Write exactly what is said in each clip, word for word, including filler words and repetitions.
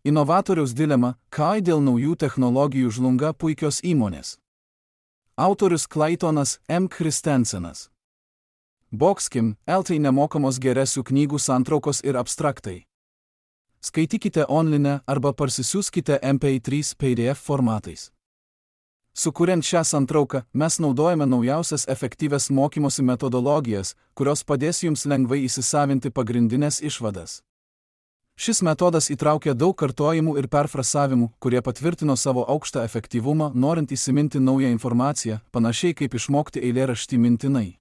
Inovatoriaus dilema – kai dėl naujų technologijų žlunga puikios įmonės. Autorius Claytonas M. Christensenas. Boxkim, eltai nemokamos geresių knygų santraukos ir abstraktai. Skaitykite online arba parsisiųskite M P trys P D F formatais. Sukuriant šią santrauką, mes naudojame naujausias efektyvias mokymosi metodologijas, kurios padės jums lengvai įsisavinti pagrindinės išvadas. Šis metodas įtraukia daug kartojimų ir perfrasavimų, kurie patvirtino savo aukštą efektyvumą, norint įsiminti naują informaciją, panašiai kaip išmokti eilėraštį mintinai.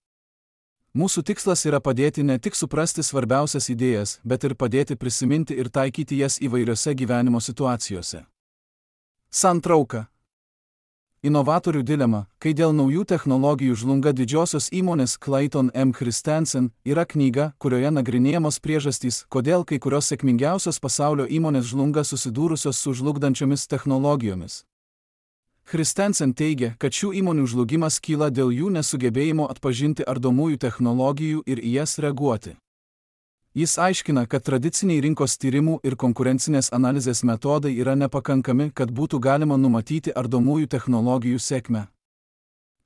Mūsų tikslas yra padėti ne tik suprasti svarbiausias idėjas, bet ir padėti prisiminti ir taikyti jas įvairiose gyvenimo situacijose. Santrauka. Inovatorių dilema, kai dėl naujų technologijų žlunga didžiosios įmonės Clayton M. Christensen, yra knyga, kurioje nagrinėjamos priežastys, kodėl kai kurios sėkmingiausios pasaulio įmonės žlunga susidūrusios su žlugdančiomis technologijomis. Christensen teigia, kad šių įmonių žlugimas kyla dėl jų nesugebėjimo atpažinti ardomųjų technologijų ir į jas reaguoti. Jis aiškina, kad tradiciniai rinkos tyrimų ir konkurencinės analizės metodai yra nepakankami, kad būtų galima numatyti ardomųjų technologijų sėkmę.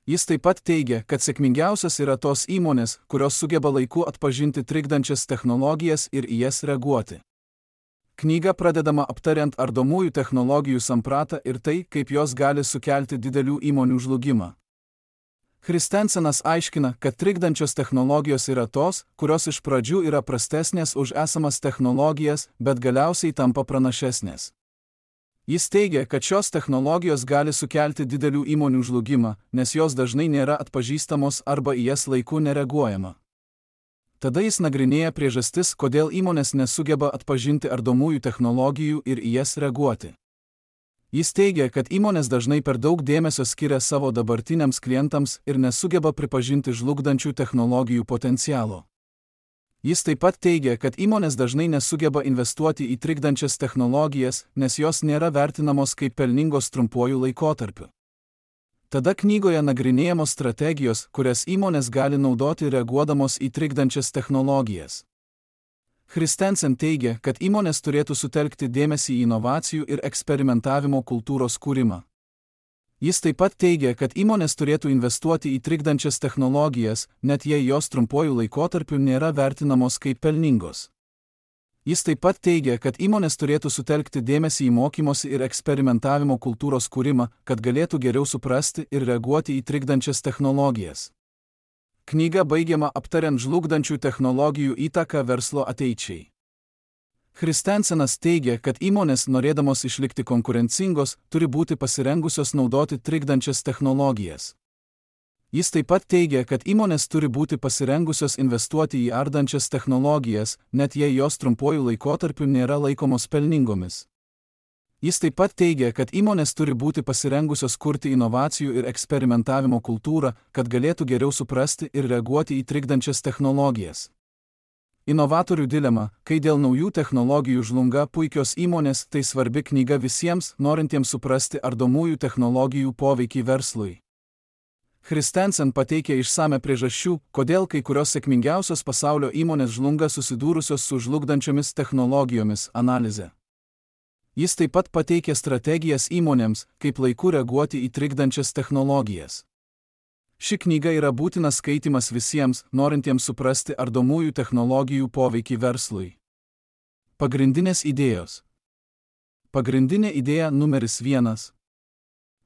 Jis taip pat teigia, kad sėkmingiausios yra tos įmonės, kurios sugeba laiku atpažinti trikdančias technologijas ir į jas reaguoti. Knyga pradedama aptariant ardomųjų technologijų sampratą ir tai, kaip jos gali sukelti didelių įmonių žlugimą. Christensenas aiškina, kad trikdančios technologijos yra tos, kurios iš pradžių yra prastesnės už esamas technologijas, bet galiausiai tampa pranašesnės. Jis teigia, kad šios technologijos gali sukelti didelių įmonių žlugimą, nes jos dažnai nėra atpažįstamos arba į jas laiku nereaguojama. Tada jis nagrinėja priežastis, kodėl įmonės nesugeba atpažinti ardomųjų technologijų ir į jas reaguoti. Jis teigia, kad įmonės dažnai per daug dėmesio skiria savo dabartiniams klientams ir nesugeba pripažinti žlugdančių technologijų potencialo. Jis taip pat teigia, kad įmonės dažnai nesugeba investuoti į trikdančias technologijas, nes jos nėra vertinamos kaip pelningos trumpuoju laikotarpiu. Tada knygoje nagrinėjamos strategijos, kurias įmonės gali naudoti reaguodamos į trikdančias technologijas. Christensen teigia, kad įmonės turėtų sutelkti dėmesį į inovacijų ir eksperimentavimo kultūros kūrimą. Jis taip pat teigia, kad įmonės turėtų investuoti į trikdančias technologijas, net jei jos trumpuoju laikotarpiu nėra vertinamos kaip pelningos. Jis taip pat teigia, kad įmonės turėtų sutelkti dėmesį į mokymosi ir eksperimentavimo kultūros kūrimą, kad galėtų geriau suprasti ir reaguoti į trikdančias technologijas. Knyga baigiama aptariant žlugdančių technologijų įtaką verslo ateičiai. Christensenas teigia, kad įmonės, norėdamos išlikti konkurencingos, turi būti pasirengusios naudoti trikdančias technologijas. Jis taip pat teigia, kad įmonės turi būti pasirengusios investuoti į ardančias technologijas, net jei jos trumpuoju laikotarpiu nėra laikomos pelningomis. Jis taip pat teigia, kad įmonės turi būti pasirengusios kurti inovacijų ir eksperimentavimo kultūrą, kad galėtų geriau suprasti ir reaguoti į trikdančias technologijas. Inovatorių dilema, kai dėl naujų technologijų žlunga puikios įmonės, tai svarbi knyga visiems, norintiems suprasti ardomųjų technologijų poveikį verslui. Christensen pateikia išsame priežasčių, kodėl kai kurios sėkmingiausios pasaulio įmonės žlunga susidūrusios su žlugdančiomis technologijomis analizę. Jis taip pat pateikia strategijas įmonėms, kaip laiku reaguoti į trikdančias technologijas. Ši knyga yra būtinas skaitimas visiems, norintiems suprasti ardomųjų technologijų poveikį verslui. Pagrindinės idėjos. Pagrindinė idėja numeris vienas.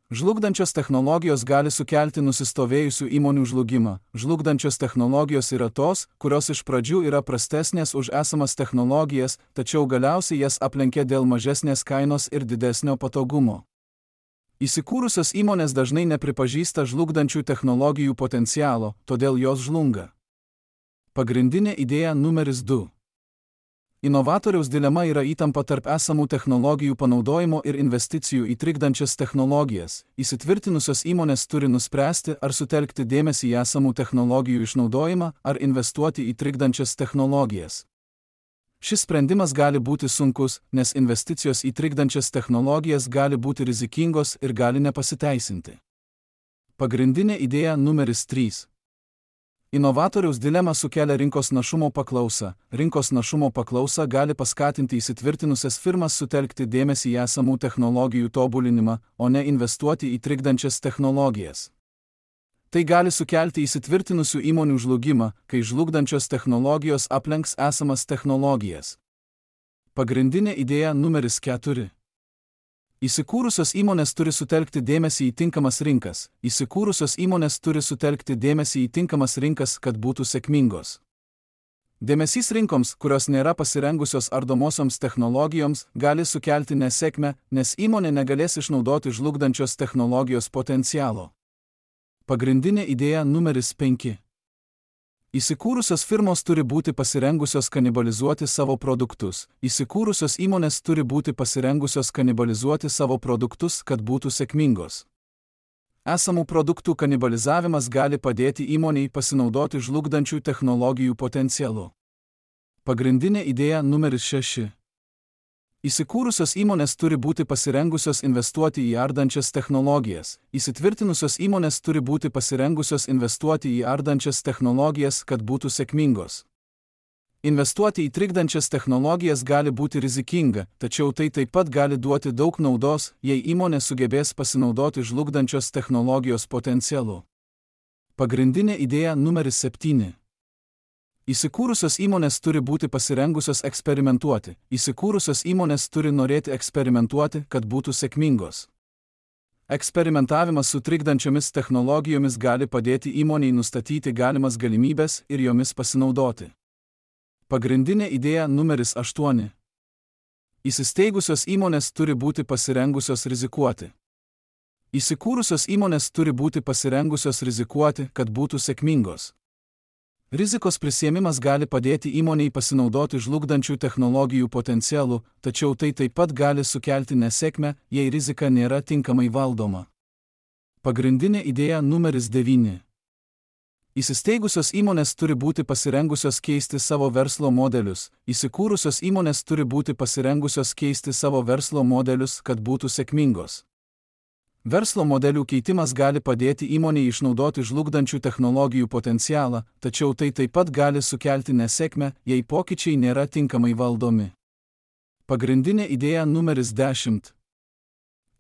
Žlugdančios technologijos gali sukelti nusistovėjusių įmonių žlugimą. Žlugdančios technologijos yra tos, kurios iš pradžių yra prastesnės už esamas technologijas, tačiau galiausiai jas aplenkia dėl mažesnės kainos ir didesnio patogumo. Įsikūrusios įmonės dažnai nepripažįsta žlugdančių technologijų potencialo, todėl jos žlunga. Pagrindinė idėja numeris du. Inovatoriaus dilema yra įtampa tarp esamų technologijų panaudojimo ir investicijų į trikdančias technologijas. Įsitvirtinusios įmonės turi nuspręsti, ar sutelkti dėmesį į esamų technologijų išnaudojimą, ar investuoti į trikdančias technologijas. Šis sprendimas gali būti sunkus, nes investicijos į trikdančias technologijas gali būti rizikingos ir gali nepasiteisinti. Pagrindinė idėja numeris trys. Inovatoriaus dilema sukelia rinkos našumo paklausą. Rinkos našumo paklausa gali paskatinti įsitvirtinusias firmas sutelkti dėmesį į esamų technologijų tobulinimą, o ne investuoti į trikdančias technologijas. Tai gali sukelti įsitvirtinusių įmonių žlugimą, kai žlugdančios technologijos aplenks esamas technologijas. Pagrindinė idėja numeris keturi. Įsikūrusios įmonės turi sutelkti dėmesį į tinkamas rinkas. Įsikūrusios įmonės turi sutelkti dėmesį į tinkamas rinkas, kad būtų sėkmingos. Dėmesys rinkoms, kurios nėra pasirengusios ardomosioms technologijoms, gali sukelti nesėkmę, nes įmonė negalės išnaudoti žlugdančios technologijos potencialo. Pagrindinė idėja numeris penki. Įsikūrusios firmos turi būti pasirengusios kanibalizuoti savo produktus. Įsikūrusios įmonės turi būti pasirengusios kanibalizuoti savo produktus, kad būtų sėkmingos. Esamų produktų kanibalizavimas gali padėti įmonei pasinaudoti žlugdančių technologijų potencialu. Pagrindinė idėja numeris šeši. Įsikūrusios įmonės turi būti pasirengusios investuoti į ardančias technologijas. Įsitvirtinusios įmonės turi būti pasirengusios investuoti į ardančias technologijas, kad būtų sėkmingos. Investuoti į trikdančias technologijas gali būti rizikinga, tačiau tai taip pat gali duoti daug naudos, jei įmonė sugebės pasinaudoti žlugdančios technologijos potencialu. Pagrindinė idėja numeris septyni. Įsikūrusios įmonės turi būti pasirengusios eksperimentuoti. Įsikūrusios įmonės turi norėti eksperimentuoti, kad būtų sėkmingos. Eksperimentavimas su trikdančiomis technologijomis gali padėti įmonei nustatyti galimas galimybės ir jomis pasinaudoti. Pagrindinė idėja numeris aštuoni. Įsisteigusios įmonės turi būti pasirengusios rizikuoti. Įsikūrusios įmonės turi būti pasirengusios rizikuoti, kad būtų sėkmingos. Rizikos prisiėmimas gali padėti įmonei pasinaudoti žlugdančių technologijų potencialu, tačiau tai taip pat gali sukelti nesėkmę, jei rizika nėra tinkamai valdoma. Pagrindinė idėja numeris devyni. Įsisteigusios įmonės turi būti pasirengusios keisti savo verslo modelius. Įsikūrusios įmonės turi būti pasirengusios keisti savo verslo modelius, kad būtų sėkmingos. Verslo modelių keitimas gali padėti įmonei išnaudoti žlugdančių technologijų potencialą, tačiau tai taip pat gali sukelti nesėkmę, jei pokyčiai nėra tinkamai valdomi. Pagrindinė idėja numeris dešimt.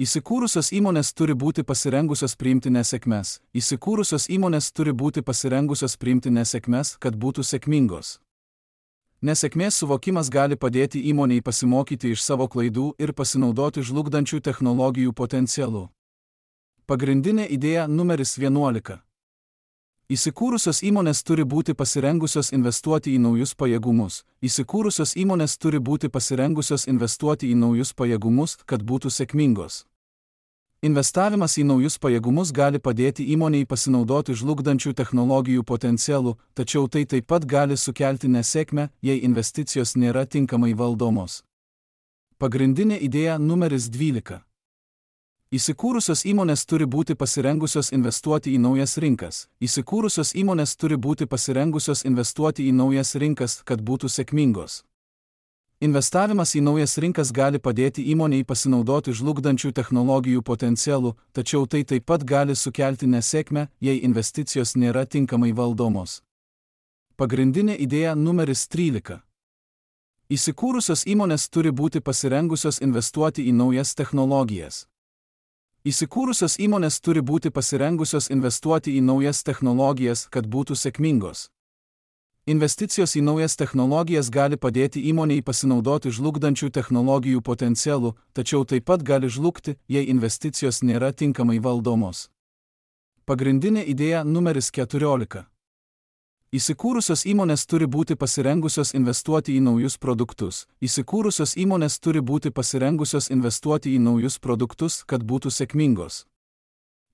Įsikūrusios įmonės turi būti pasirengusios priimti nesėkmes. Įsikūrusios įmonės turi būti pasirengusios priimti nesėkmes, kad būtų sėkmingos. Nesėkmės suvokimas gali padėti įmonei pasimokyti iš savo klaidų ir pasinaudoti žlugdančių technologijų potencialu. Pagrindinė idėja numeris vienuolika. Įsikūrusios įmonės turi būti pasirengusios investuoti į naujus pajėgumus. Įsikūrusios įmonės turi būti pasirengusios investuoti į naujus pajėgumus, kad būtų sėkmingos. Investavimas į naujus pajėgumus gali padėti įmonei pasinaudoti žlugdančių technologijų potencialu, tačiau tai taip pat gali sukelti nesėkmę, jei investicijos nėra tinkamai valdomos. Pagrindinė idėja numeris dvylika. Įsikūrusios įmonės turi būti pasirengusios investuoti į naujas rinkas. Įsikūrusios įmonės turi būti pasirengusios investuoti į naujas rinkas, kad būtų sėkmingos. Investavimas į naujas rinkas gali padėti įmonei pasinaudoti žlugdančių technologijų potencialu, tačiau tai taip pat gali sukelti nesėkmę, jei investicijos nėra tinkamai valdomos. Pagrindinė idėja numeris trylika. Įsikūrusios įmonės turi būti pasirengusios investuoti į naujas technologijas. Įsikūrusios įmonės turi būti pasirengusios investuoti į naujas technologijas, kad būtų sėkmingos. Investicijos į naujas technologijas gali padėti įmonei pasinaudoti žlugdančių technologijų potencialu, tačiau taip pat gali žlugti, jei investicijos nėra tinkamai valdomos. Pagrindinė idėja numeris keturiolika. Įsikūrusios įmonės turi būti pasirengusios investuoti į naujus produktus. Įsikūrusios įmonės turi būti pasirengusios investuoti į naujus produktus, kad būtų sėkmingos.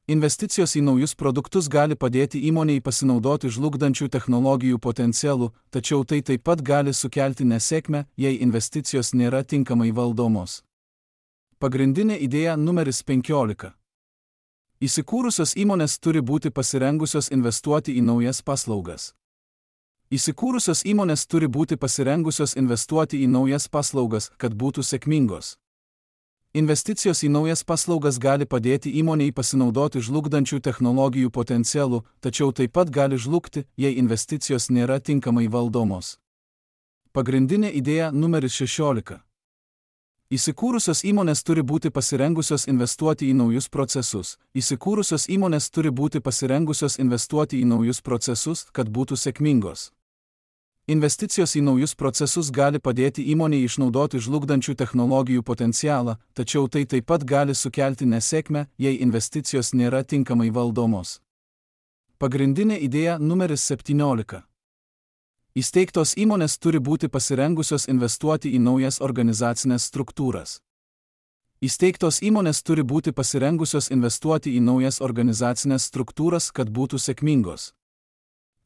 Investicijos į naujus produktus gali padėti įmonei pasinaudoti žlugdančių technologijų potencialu, tačiau tai taip pat gali sukelti nesėkmę, jei investicijos nėra tinkamai valdomos. Pagrindinė idėja numeris penkiolika. Įsikūrusios įmonės turi būti pasirengusios investuoti į naujas paslaugas. Įsikūrusios įmonės turi būti pasirengusios investuoti į naujas paslaugas, kad būtų sėkmingos. Investicijos į naujas paslaugas gali padėti įmonei pasinaudoti žlugdančių technologijų potencialu, tačiau taip pat gali žlugti, jei investicijos nėra tinkamai valdomos. Pagrindinė idėja numeris šešiolika. Įsikūrusios įmonės turi būti pasirengusios investuoti į naujus procesus. Įsikūrusios įmonės turi būti pasirengusios investuoti į naujus procesus, kad būtų sėkmingos. Investicijos į naujus procesus gali padėti įmonei išnaudoti žlugdančių technologijų potencialą, tačiau tai taip pat gali sukelti nesėkmę, jei investicijos nėra tinkamai valdomos. Pagrindinė idėja numeris septyniolika. Įsteigtos įmonės turi būti pasirengusios investuoti į naujas organizacinės struktūras. Įsteigtos įmonės turi būti pasirengusios investuoti į naujas organizacinės struktūras, kad būtų sėkmingos.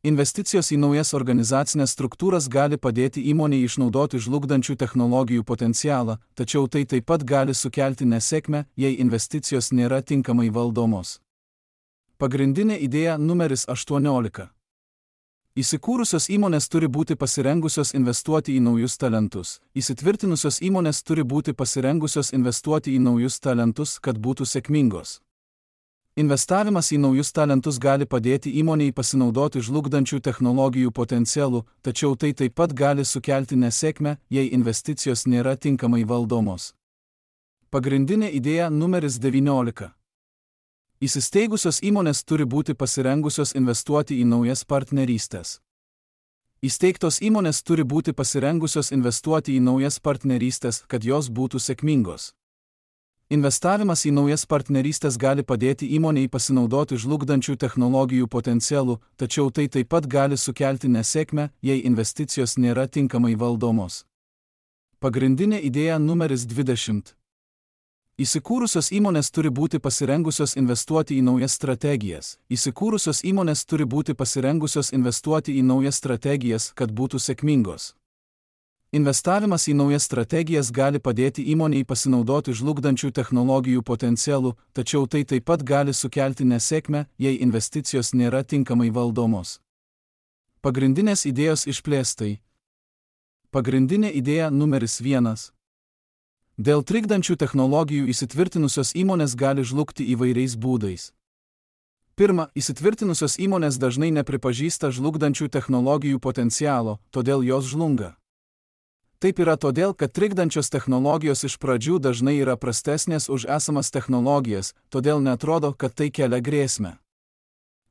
Investicijos į naujas organizacinės struktūras gali padėti įmonei išnaudoti žlugdančių technologijų potencialą, tačiau tai taip pat gali sukelti nesėkmę, jei investicijos nėra tinkamai valdomos. Pagrindinė idėja numeris aštuoniolika. Įsikūrusios įmonės turi būti pasirengusios investuoti į naujus talentus. Įsitvirtinusios įmonės turi būti pasirengusios investuoti į naujus talentus, kad būtų sėkmingos. Investavimas į naujus talentus gali padėti įmonei pasinaudoti žlugdančių technologijų potencialu, tačiau tai taip pat gali sukelti nesėkmę, jei investicijos nėra tinkamai valdomos. Pagrindinė idėja numeris devyniolika. Įsisteigusios įmonės turi būti pasirengusios investuoti į naujas partnerystės. Įsteigtos įmonės turi būti pasirengusios investuoti į naujas partnerystės, kad jos būtų sėkmingos. Investavimas į naujas partnerystės gali padėti įmonei pasinaudoti žlugdančių technologijų potencialu, tačiau tai taip pat gali sukelti nesėkmę, jei investicijos nėra tinkamai valdomos. Pagrindinė idėja numeris dvidešimt. Įsikūrusios įmonės turi būti pasirengusios investuoti į naujas strategijas. Įsikūrusios įmonės turi būti pasirengusios investuoti į naujas strategijas, kad būtų sėkmingos. Investavimas į naujas strategijas gali padėti įmonei pasinaudoti žlugdančių technologijų potencialu, tačiau tai taip pat gali sukelti nesėkmę, jei investicijos nėra tinkamai valdomos. Pagrindinės idėjos išplėstai. Pagrindinė idėja numeris vienas. Dėl trikdančių technologijų įsitvirtinusios įmonės gali žlugti įvairiais būdais. Pirma, įsitvirtinusios įmonės dažnai nepripažįsta žlugdančių technologijų potencialo, todėl jos žlunga. Taip yra todėl, kad trikdančios technologijos iš pradžių dažnai yra prastesnės už esamas technologijas, todėl netrodo, kad tai kelia grėsmę.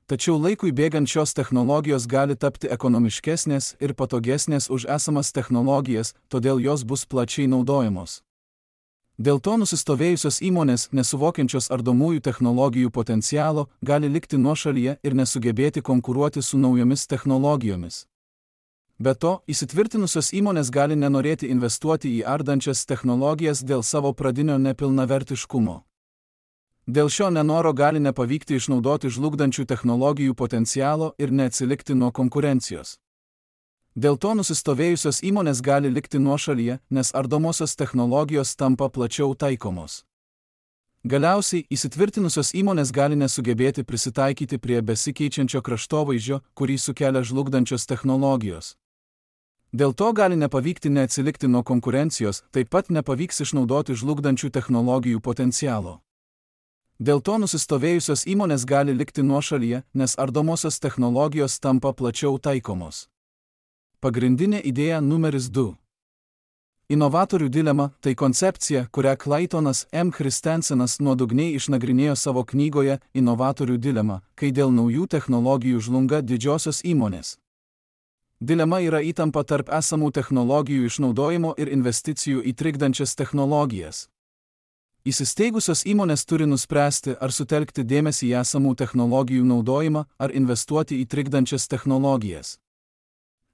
Tačiau laikui bėgant šios technologijos gali tapti ekonomiškesnės ir patogesnės už esamas technologijas, todėl jos bus plačiai naudojamos. Dėl to nusistovėjusios įmonės, nesuvokiančios ardomųjų technologijų potencialo, gali likti nuošalyje ir nesugebėti konkuruoti su naujomis technologijomis. Be to, įsitvirtinusios įmonės gali nenorėti investuoti į ardančias technologijas dėl savo pradinio nepilnavertiškumo. Dėl šio nenoro gali nepavykti išnaudoti žlugdančių technologijų potencialo ir neatsilikti nuo konkurencijos. Dėl to nusistovėjusios įmonės gali likti nuošalyje, nes ardomosios technologijos tampa plačiau taikomos. Galiausiai, įsitvirtinusios įmonės gali nesugebėti prisitaikyti prie besikeičiančio kraštovaizdžio, kurį sukelia žlugdančios technologijos. Dėl to gali nepavykti neatsilikti nuo konkurencijos, taip pat nepavyks išnaudoti žlugdančių technologijų potencialo. Dėl to nusistovėjusios įmonės gali likti nuošalyje, nes ardomosios technologijos tampa plačiau taikomos. Pagrindinė idėja numeris du. Inovatorių dilema – tai koncepcija, kurią Claytonas M. Christensenas nuodugniai išnagrinėjo savo knygoje Inovatorių dilema, kai dėl naujų technologijų žlunga didžiosios įmonės. Dilema yra įtampa tarp esamų technologijų išnaudojimo ir investicijų į trikdančias technologijas. Įsisteigusios įmonės turi nuspręsti, ar sutelkti dėmesį į esamų technologijų naudojimą, ar investuoti į trikdančias technologijas.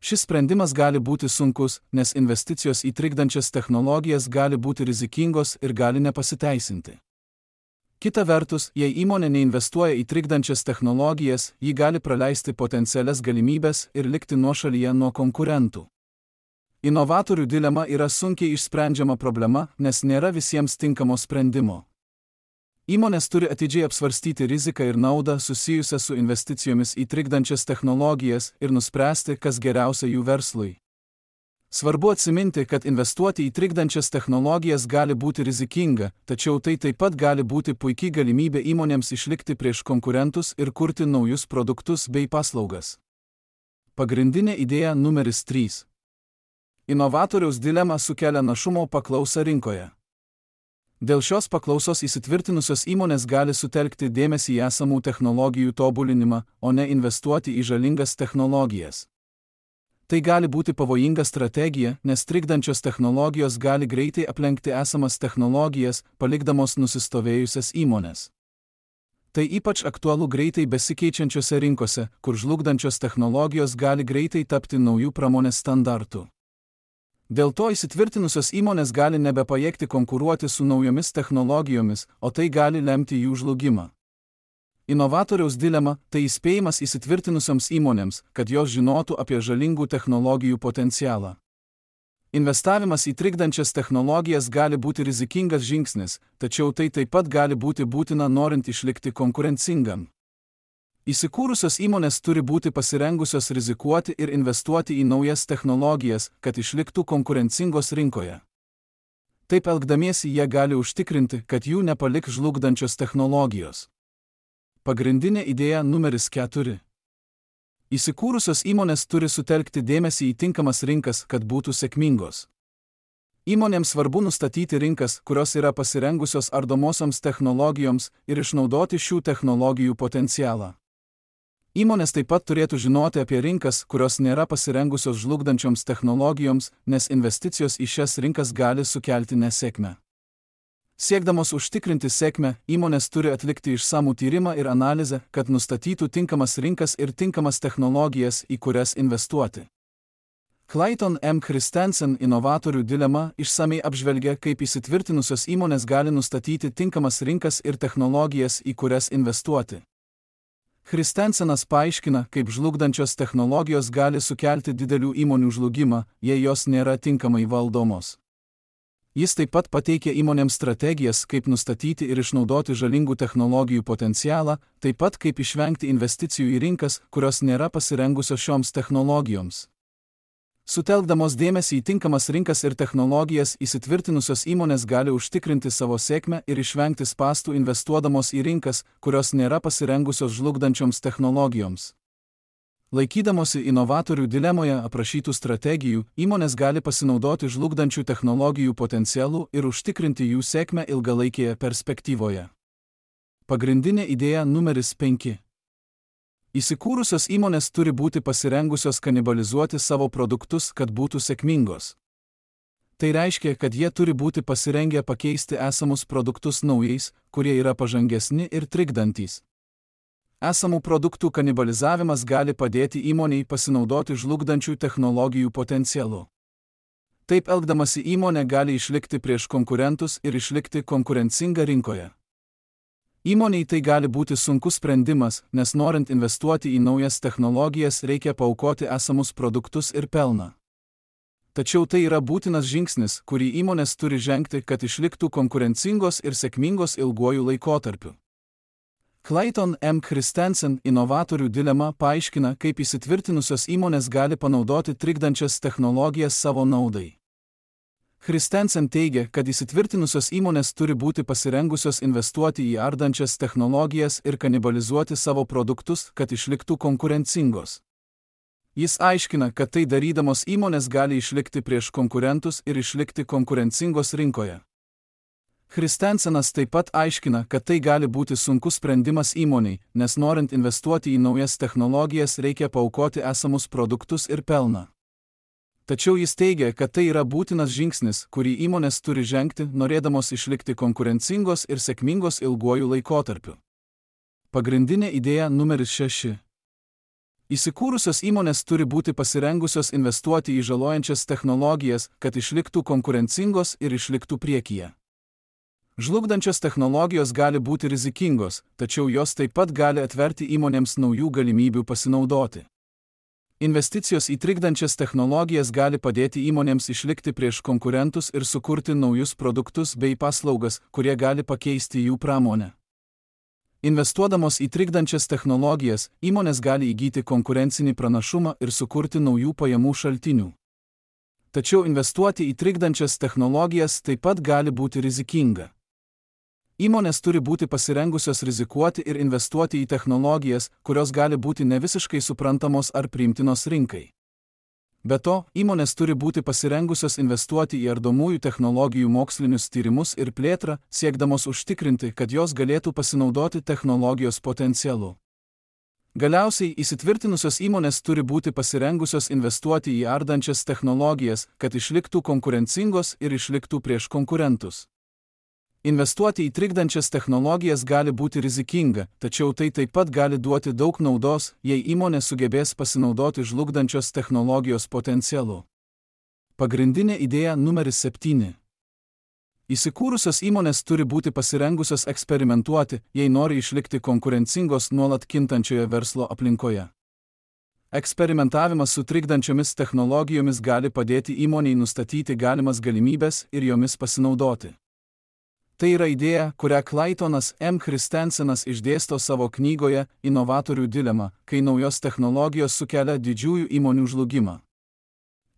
Šis sprendimas gali būti sunkus, nes investicijos į trikdančias technologijas gali būti rizikingos ir gali nepasiteisinti. Kita vertus, jei įmonė neinvestuoja į trikdančias technologijas, ji gali praleisti potencialias galimybės ir likti nuošalyje nuo konkurentų. Inovatorių dilema yra sunkiai išsprendžiama problema, nes nėra visiems tinkamo sprendimo. Įmonės turi atidžiai apsvarstyti riziką ir naudą susijusią su investicijomis į trikdančias technologijas ir nuspręsti, kas geriausia jų verslui. Svarbu atsiminti, kad investuoti į trikdančias technologijas gali būti rizikinga, tačiau tai taip pat gali būti puikiai galimybė įmonėms išlikti prieš konkurentus ir kurti naujus produktus bei paslaugas. Pagrindinė idėja numeris trys. Inovatoriaus dilema sukelia našumo paklausą rinkoje. Dėl šios paklausos įsitvirtinusios įmonės gali sutelkti dėmesį į esamų technologijų tobulinimą, o ne investuoti į žalingas technologijas. Tai gali būti pavojinga strategija, nes trikdančios technologijos gali greitai aplenkti esamas technologijas, palikdamos nusistovėjusias įmonės. Tai ypač aktualu greitai besikeičiančiose rinkose, kur žlugdančios technologijos gali greitai tapti naujų pramonės standartų. Dėl to įsitvirtinusios įmonės gali nebepajėgti konkuruoti su naujomis technologijomis, o tai gali lemti jų žlugimą. Inovatoriaus dilema – tai įspėjimas įsitvirtinusioms įmonėms, kad jos žinotų apie žalingų technologijų potencialą. Investavimas į trikdančias technologijas gali būti rizikingas žingsnis, tačiau tai taip pat gali būti būtina norint išlikti konkurencingam. Įsikūrusios įmonės turi būti pasirengusios rizikuoti ir investuoti į naujas technologijas, kad išliktų konkurencingos rinkoje. Taip elgdamiesi jie gali užtikrinti, kad jų nepalik žlugdančios technologijos. Pagrindinė idėja numeris keturi. Įsikūrusios įmonės turi sutelkti dėmesį į tinkamas rinkas, kad būtų sėkmingos. Įmonėms svarbu nustatyti rinkas, kurios yra pasirengusios ardomosioms technologijoms ir išnaudoti šių technologijų potencialą. Įmonės taip pat turėtų žinoti apie rinkas, kurios nėra pasirengusios žlugdančioms technologijoms, nes investicijos į šias rinkas gali sukelti nesėkmę. Siekdamos užtikrinti sėkmę, įmonės turi atlikti išsamų tyrimą ir analizę, kad nustatytų tinkamas rinkas ir tinkamas technologijas, į kurias investuoti. Clayton M. Christensen inovatorių dilema išsamei apžvelgia, kaip įsitvirtinusios įmonės gali nustatyti tinkamas rinkas ir technologijas, į kurias investuoti. Christensenas paaiškina, kaip žlugdančios technologijos gali sukelti didelių įmonių žlugimą, jei jos nėra tinkamai valdomos. Jis taip pat pateikia įmonėms strategijas, kaip nustatyti ir išnaudoti žalingų technologijų potencialą, taip pat kaip išvengti investicijų į rinkas, kurios nėra pasirengusios šioms technologijoms. Sutelkdamos dėmesį į tinkamas rinkas ir technologijas, įsitvirtinusios įmonės gali užtikrinti savo sėkmę ir išvengti spąstų investuodamos į rinkas, kurios nėra pasirengusios žlugdančioms technologijoms. Laikydamosi inovatorių dilemoje aprašytų strategijų, įmonės gali pasinaudoti žlugdančių technologijų potencialu ir užtikrinti jų sėkmę ilgalaikėje perspektyvoje. Pagrindinė idėja numeris penki. Įsikūrusios įmonės turi būti pasirengusios kanibalizuoti savo produktus, kad būtų sėkmingos. Tai reiškia, kad jie turi būti pasirengę pakeisti esamus produktus naujais, kurie yra pažangesni ir trikdantys. Esamų produktų kanibalizavimas gali padėti įmonei pasinaudoti žlugdančių technologijų potencialu. Taip elgdamasi įmonė gali išlikti prieš konkurentus ir išlikti konkurencinga rinkoje. Įmonei tai gali būti sunkus sprendimas, nes norint investuoti į naujas technologijas reikia paaukoti esamus produktus ir pelną. Tačiau tai yra būtinas žingsnis, kurį įmonės turi žengti, kad išliktų konkurencingos ir sėkmingos ilguoju laikotarpiu. Clayton M. Christensen inovatorių dilema paaiškina, kaip įsitvirtinusios įmonės gali panaudoti trikdančias technologijas savo naudai. Christensen teigia, kad įsitvirtinusios įmonės turi būti pasirengusios investuoti į ardančias technologijas ir kanibalizuoti savo produktus, kad išliktų konkurencingos. Jis aiškina, kad tai darydamos įmonės gali išlikti prieš konkurentus ir išlikti konkurencingos rinkoje. Christensenas taip pat aiškina, kad tai gali būti sunkus sprendimas įmoniai, nes norint investuoti į naujas technologijas reikia paaukoti esamus produktus ir pelną. Tačiau jis teigia, kad tai yra būtinas žingsnis, kurį įmonės turi žengti, norėdamos išlikti konkurencingos ir sėkmingos ilguoju laikotarpiu. Pagrindinė idėja numeris šeši. Įsikūrusios įmonės turi būti pasirengusios investuoti į žalojančias technologijas, kad išliktų konkurencingos ir išliktų priekyje. Žlugdančios technologijos gali būti rizikingos, tačiau jos taip pat gali atverti įmonėms naujų galimybių pasinaudoti. Investicijos į trikdančias technologijas gali padėti įmonėms išlikti prieš konkurentus ir sukurti naujus produktus bei paslaugas, kurie gali pakeisti jų pramonę. Investuodamos į trikdančias technologijas, įmonės gali įgyti konkurencinį pranašumą ir sukurti naujų pajamų šaltinių. Tačiau investuoti į trikdančias technologijas taip pat gali būti rizikinga. Įmonės turi būti pasirengusios rizikuoti ir investuoti į technologijas, kurios gali būti nevisiškai suprantamos ar priimtinos rinkai. Be to, įmonės turi būti pasirengusios investuoti į ardomųjų technologijų mokslinius tyrimus ir plėtrą, siekdamos užtikrinti, kad jos galėtų pasinaudoti technologijos potencialu. Galiausiai, įsitvirtinusios įmonės turi būti pasirengusios investuoti į ardančias technologijas, kad išliktų konkurencingos ir išliktų prieš konkurentus. Investuoti į trikdančias technologijas gali būti rizikinga, tačiau tai taip pat gali duoti daug naudos, jei įmonė sugebės pasinaudoti žlugdančios technologijos potencialu. Pagrindinė idėja numeris septyni. Įsikūrusios įmonės turi būti pasirengusios eksperimentuoti, jei nori išlikti konkurencingos nuolat kintančioje verslo aplinkoje. Eksperimentavimas su trikdančiomis technologijomis gali padėti įmonei nustatyti galimas galimybes ir jomis pasinaudoti. Tai yra idėja, kurią Claytonas M. Christensenas išdėsto savo knygoje Inovatorių dilema, kai naujos technologijos sukelia didžiųjų įmonių žlugimą.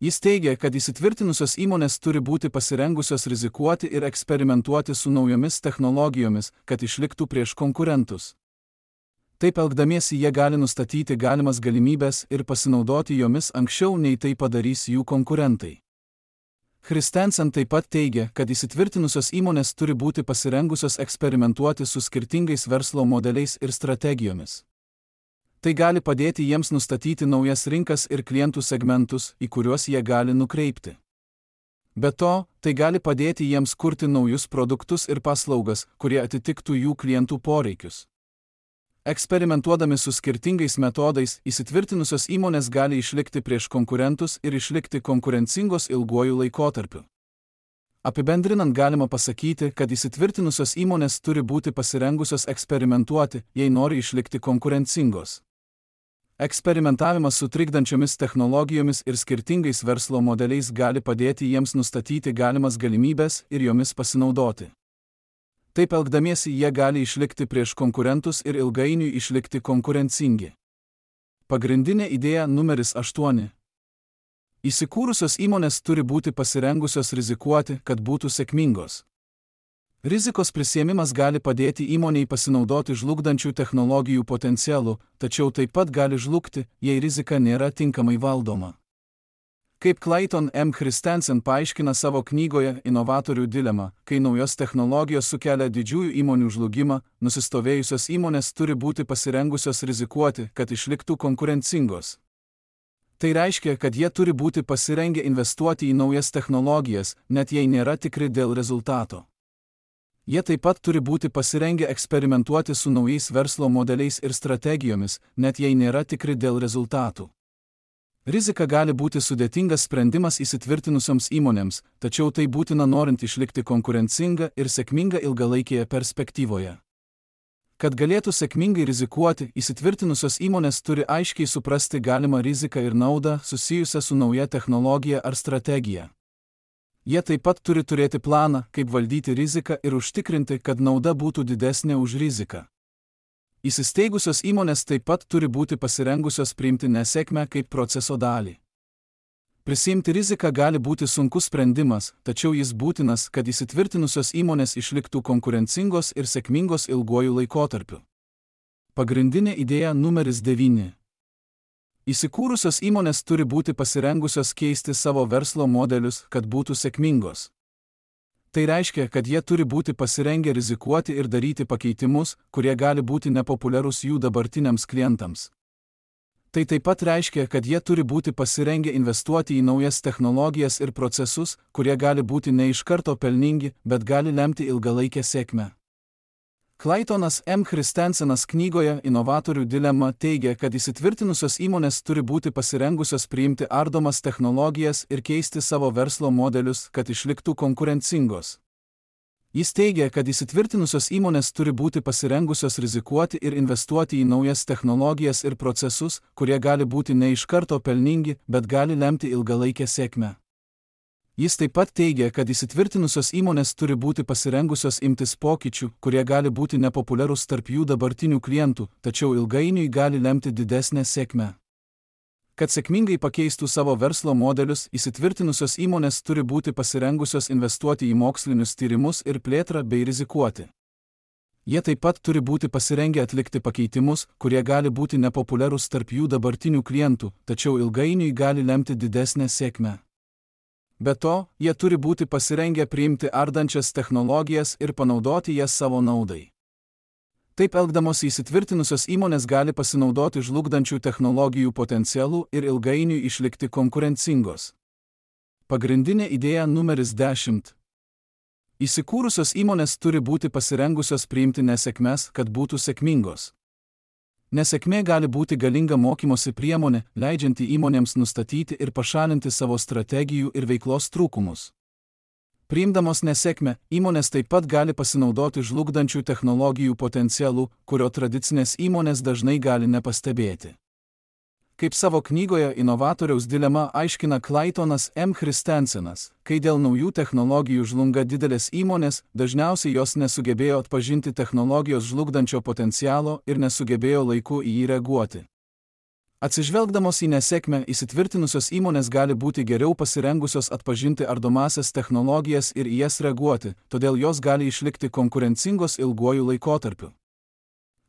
Jis teigia, kad įsitvirtinusios įmonės turi būti pasirengusios rizikuoti ir eksperimentuoti su naujomis technologijomis, kad išliktų prieš konkurentus. Taip elgdamiesi jie gali nustatyti galimas galimybes ir pasinaudoti jomis anksčiau nei tai padarys jų konkurentai. Christensen taip pat teigia, kad įsitvirtinusios įmonės turi būti pasirengusios eksperimentuoti su skirtingais verslo modeliais ir strategijomis. Tai gali padėti jiems nustatyti naujas rinkas ir klientų segmentus, į kuriuos jie gali nukreipti. Be to, tai gali padėti jiems kurti naujus produktus ir paslaugas, kurie atitiktų jų klientų poreikius. Eksperimentuodami su skirtingais metodais, įsitvirtinusios įmonės gali išlikti prieš konkurentus ir išlikti konkurencingos ilguoju laikotarpiu. Apibendrinant galima pasakyti, kad įsitvirtinusios įmonės turi būti pasirengusios eksperimentuoti, jei nori išlikti konkurencingos. Eksperimentavimas su trikdančiomis technologijomis ir skirtingais verslo modeliais gali padėti jiems nustatyti galimas galimybes ir jomis pasinaudoti. Taip elgdamiesi jie gali išlikti prieš konkurentus ir ilgainiui išlikti konkurencingi. Pagrindinė idėja numeris aštuoni. Įsikūrusios įmonės turi būti pasirengusios rizikuoti, kad būtų sėkmingos. Rizikos prisiėmimas gali padėti įmonei pasinaudoti žlugdančių technologijų potencialu, tačiau taip pat gali žlugti, jei rizika nėra tinkamai valdoma. Kaip Clayton M. Christensen paaiškina savo knygoje Inovatorių dilema, kai naujos technologijos sukelia didžiųjų įmonių žlugimą, nusistovėjusios įmonės turi būti pasirengusios rizikuoti, kad išliktų konkurencingos. Tai reiškia, kad jie turi būti pasirengę investuoti į naujas technologijas, net jei nėra tikri dėl rezultato. Jie taip pat turi būti pasirengę eksperimentuoti su naujais verslo modeliais ir strategijomis, net jei nėra tikri dėl rezultatų. Rizika gali būti sudėtingas sprendimas įsitvirtinusioms įmonėms, tačiau tai būtina norint išlikti konkurencinga ir sėkminga ilgalaikėje perspektyvoje. Kad galėtų sėkmingai rizikuoti, įsitvirtinusios įmonės turi aiškiai suprasti galimą riziką ir naudą susijusią su nauja technologija ar strategija. Jie taip pat turi turėti planą, kaip valdyti riziką ir užtikrinti, kad nauda būtų didesnė už riziką. Įsisteigusios įmonės taip pat turi būti pasirengusios priimti nesėkmę kaip proceso dalį. Prisiimti riziką gali būti sunkus sprendimas, tačiau jis būtinas, kad įsitvirtinusios įmonės išliktų konkurencingos ir sėkmingos ilguoju laikotarpiu. Pagrindinė idėja numeris devyni. Įsikūrusios įmonės turi būti pasirengusios keisti savo verslo modelius, kad būtų sėkmingos. Tai reiškia, kad jie turi būti pasirengę rizikuoti ir daryti pakeitimus, kurie gali būti nepopuliarūs jų dabartiniams klientams. Tai taip pat reiškia, kad jie turi būti pasirengę investuoti į naujas technologijas ir procesus, kurie gali būti ne iš karto pelningi, bet gali lemti ilgalaikę sėkmę. Claytonas M. Christensenas knygoje Inovatorių dilema teigia, kad įsitvirtinusios įmonės turi būti pasirengusios priimti ardomas technologijas ir keisti savo verslo modelius, kad išliktų konkurencingos. Jis teigia, kad įsitvirtinusios įmonės turi būti pasirengusios rizikuoti ir investuoti į naujas technologijas ir procesus, kurie gali būti ne iš karto pelningi, bet gali lemti ilgalaikę sėkmę. Jis taip pat teigia, kad įsitvirtinusios įmonės turi būti pasirengusios imtis pokyčių, kurie gali būti nepopuliarūs tarp jų dabartinių klientų, tačiau ilgainiui gali lemti didesnę sėkmę. Kad sėkmingai pakeistų savo verslo modelius, įsitvirtinusios įmonės turi būti pasirengusios investuoti į mokslinius tyrimus ir plėtrą bei rizikuoti. Jie taip pat turi būti pasirengę atlikti pakeitimus, kurie gali būti nepopuliarūs tarp jų dabartinių klientų, tačiau ilgainiui gali lemti didesnę sėkmę. Be to, jie turi būti pasirengę priimti ardančias technologijas ir panaudoti jas savo naudai. Taip elgdamos įsitvirtinusios įmonės gali pasinaudoti žlugdančių technologijų potencialų ir ilgainiui išlikti konkurencingos. Pagrindinė idėja numeris dešimt. Įsikūrusios įmonės turi būti pasirengusios priimti nesėkmes, kad būtų sėkmingos. Nesėkmė gali būti galinga mokymosi priemonė, leidžianti įmonėms nustatyti ir pašalinti savo strategijų ir veiklos trūkumus. Priimdamos nesėkmę, įmonės taip pat gali pasinaudoti žlugdančių technologijų potencialų, kurio tradicinės įmonės dažnai gali nepastebėti. Kaip savo knygoje Inovatoriaus dilema aiškina Claytonas M. Christensenas, kai dėl naujų technologijų žlunga didelės įmonės, dažniausiai jos nesugebėjo atpažinti technologijos žlugdančio potencialo ir nesugebėjo laiku į jį reaguoti. Atsižvelgdamos į nesėkmę, įsitvirtinusios įmonės gali būti geriau pasirengusios atpažinti ardomąsias technologijas ir į jas reaguoti, todėl jos gali išlikti konkurencingos ilguoju laikotarpiu.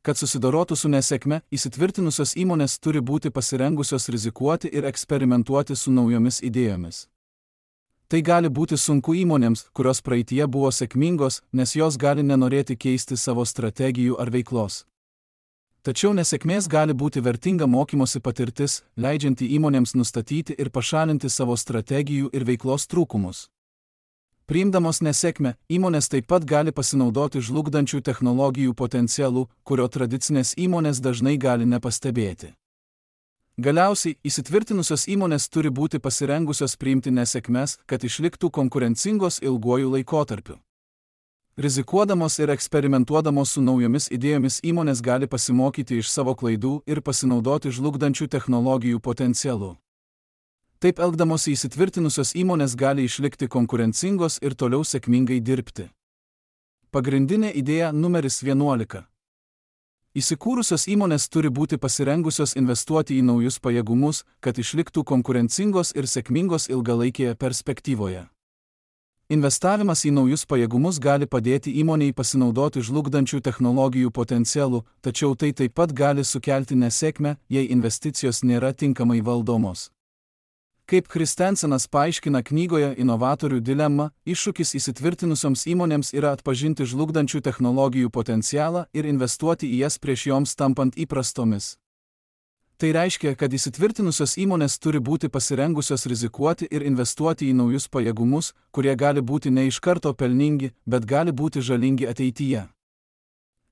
Kad susidorotų su nesėkme, įsitvirtinusios įmonės turi būti pasirengusios rizikuoti ir eksperimentuoti su naujomis idėjomis. Tai gali būti sunku įmonėms, kurios praeityje buvo sėkmingos, nes jos gali nenorėti keisti savo strategijų ar veiklos. Tačiau nesėkmės gali būti vertinga mokymosi patirtis, leidžianti įmonėms nustatyti ir pašalinti savo strategijų ir veiklos trūkumus. Priimdamos nesėkmę, įmonės taip pat gali pasinaudoti žlugdančių technologijų potencialų, kurio tradicinės įmonės dažnai gali nepastebėti. Galiausiai, įsitvirtinusios įmonės turi būti pasirengusios priimti nesėkmes, kad išliktų konkurencingos ilguoju laikotarpiu. Rizikuodamos ir eksperimentuodamos su naujomis idėjomis įmonės gali pasimokyti iš savo klaidų ir pasinaudoti žlugdančių technologijų potencialu. Taip elgdamos įsitvirtinusios įmonės gali išlikti konkurencingos ir toliau sėkmingai dirbti. Pagrindinė idėja numeris vienuolika. Įsikūrusios įmonės turi būti pasirengusios investuoti į naujus pajėgumus, kad išliktų konkurencingos ir sėkmingos ilgalaikėje perspektyvoje. Investavimas į naujus pajėgumus gali padėti įmonei pasinaudoti žlugdančių technologijų potencialų, tačiau tai taip pat gali sukelti nesėkmę, jei investicijos nėra tinkamai valdomos. Kaip Christensenas paaiškina knygoje Inovatorių dilema, iššūkis įsitvirtinusioms įmonėms yra atpažinti žlugdančių technologijų potencialą ir investuoti į jas prieš joms tampant įprastomis. Tai reiškia, kad įsitvirtinusios įmonės turi būti pasirengusios rizikuoti ir investuoti į naujus pajėgumus, kurie gali būti ne iš karto pelningi, bet gali būti žalingi ateityje.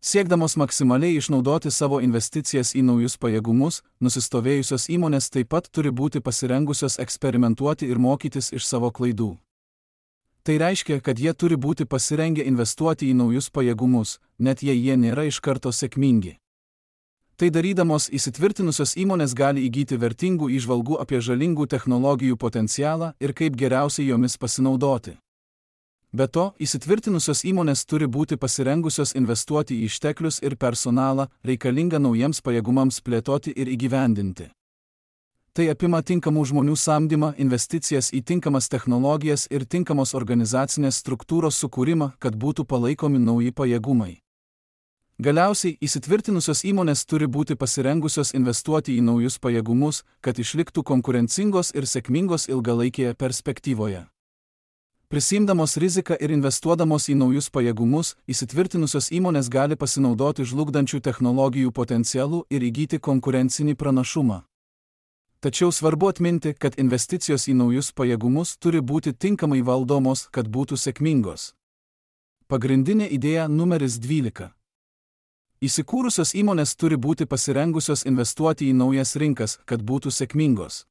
Siekdamos maksimaliai išnaudoti savo investicijas į naujus pajėgumus, nusistovėjusios įmonės taip pat turi būti pasirengusios eksperimentuoti ir mokytis iš savo klaidų. Tai reiškia, kad jie turi būti pasirengę investuoti į naujus pajėgumus, net jei jie nėra iš karto sėkmingi. Tai darydamos įsitvirtinusios įmonės gali įgyti vertingų įžvalgų apie žalingų technologijų potencialą ir kaip geriausiai jomis pasinaudoti. Be to, įsitvirtinusios įmonės turi būti pasirengusios investuoti į išteklius ir personalą, reikalingą naujiems pajėgumams plėtoti ir įgyvendinti. Tai apima tinkamų žmonių samdymą, investicijas į tinkamas technologijas ir tinkamos organizacinės struktūros sukūrimą, kad būtų palaikomi nauji pajėgumai. Galiausiai, įsitvirtinusios įmonės turi būti pasirengusios investuoti į naujus pajėgumus, kad išliktų konkurencingos ir sėkmingos ilgalaikėje perspektyvoje. Prisiimdamos riziką ir investuodamos į naujus pajėgumus, įsitvirtinusios įmonės gali pasinaudoti žlugdančių technologijų potencialų ir įgyti konkurencinį pranašumą. Tačiau svarbu atminti, kad investicijos į naujus pajėgumus turi būti tinkamai valdomos, kad būtų sėkmingos. Pagrindinė idėja numeris dvylika. Įsikūrusios įmonės turi būti pasirengusios investuoti į naujas rinkas, kad būtų sėkmingos.